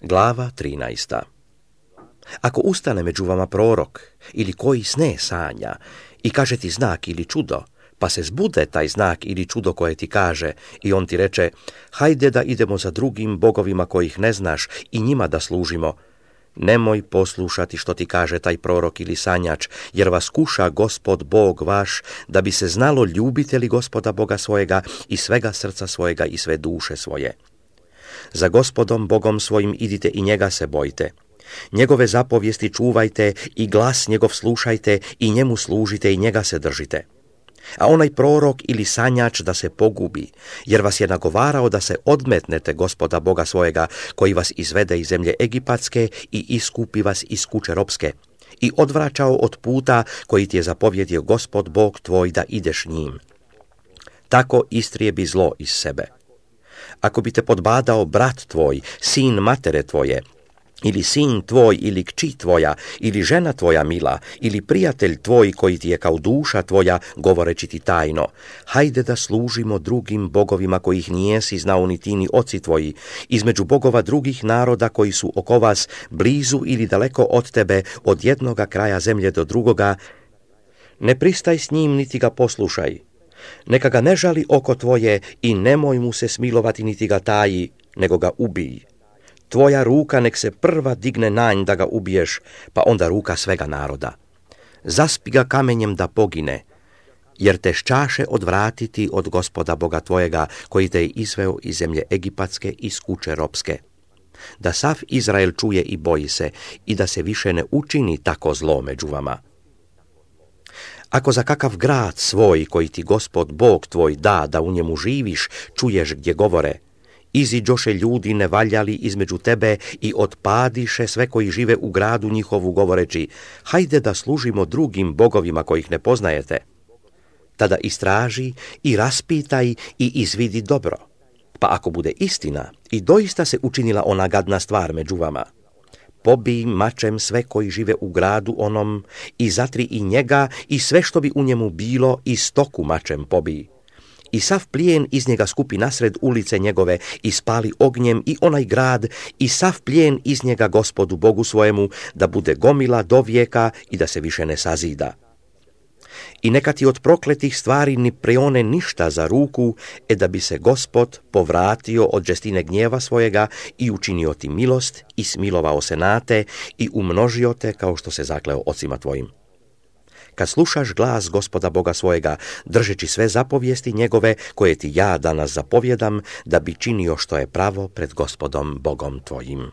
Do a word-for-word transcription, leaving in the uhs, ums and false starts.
Glava trinaesta. Ako ustane među vama prorok ili koji sne sanja i kaže ti znak ili čudo, pa se zbude taj znak ili čudo koje ti kaže i on ti reče, hajde da idemo za drugim bogovima kojih ne znaš i njima da služimo, nemoj poslušati što ti kaže taj prorok ili sanjač, jer vas kuša Gospod Bog vaš, da bi se znalo ljubite li Gospoda Boga svojega i svega srca svojega i sve duše svoje. Za Gospodom Bogom svojim idite i njega se bojte. Njegove zapovijesti čuvajte i glas njegov slušajte i njemu služite i njega se držite. A onaj prorok ili sanjač da se pogubi, jer vas je nagovarao da se odmetnete Gospoda Boga svojega, koji vas izvede iz zemlje Egipatske i iskupi vas iz kuće ropske, i odvraćao od puta koji ti je zapovjedio Gospod Bog tvoj da ideš njim. Tako istrijebi zlo iz sebe. Ako bi te podbadao brat tvoj, sin matere tvoje, ili sin tvoj, ili kći tvoja, ili žena tvoja mila, ili prijatelj tvoj koji ti je kao duša tvoja, govoreći ti tajno, hajde da služimo drugim bogovima kojih nijesi znao ni ti ni oci tvoji, između bogova drugih naroda koji su oko vas, blizu ili daleko od tebe, od jednoga kraja zemlje do drugoga, ne pristaj s njim niti ga poslušaj. Neka ga ne žali oko tvoje i nemoj mu se smilovati niti ga taji, nego ga ubij. Tvoja ruka nek se prva digne na nj da ga ubiješ, pa onda ruka svega naroda. Zaspi ga kamenjem da pogine, jer te šćaše odvratiti od Gospoda Boga tvojega, koji te je izveo iz zemlje Egipatske iz kuće ropske. Da sav Izrael čuje i boji se, i da se više ne učini tako zlo među vama. Ako za kakav grad svoj, koji ti Gospod Bog tvoj da, da u njemu živiš, čuješ gdje govore, iziđoše ljudi nevaljali između tebe i otpadiše sve koji žive u gradu njihovu govoreći, hajde da služimo drugim bogovima kojih ne poznajete. Tada istraži i raspitaj i izvidi dobro. Pa ako bude istina i doista se učinila ona gadna stvar među vama, pobij mačem sve koji žive u gradu onom i zatri i njega i sve što bi u njemu bilo i stoku mačem pobij. I sav plijen iz njega skupi nasred ulice njegove i spali ognjem i onaj grad i sav plijen iz njega Gospodu Bogu svojemu, da bude gomila do vijeka i da se više ne sazida. I neka ti od prokletih stvari ni preone ništa za ruku, e da bi se Gospod povratio od žestine gnjeva svojega i učinio ti milost i smilovao se na te i umnožio te kao što se zakleo ocima tvojim. Kad slušaš glas Gospoda Boga svojega, držeći sve zapovijesti njegove koje ti ja danas zapovjedam, da bi činio što je pravo pred Gospodom Bogom tvojim.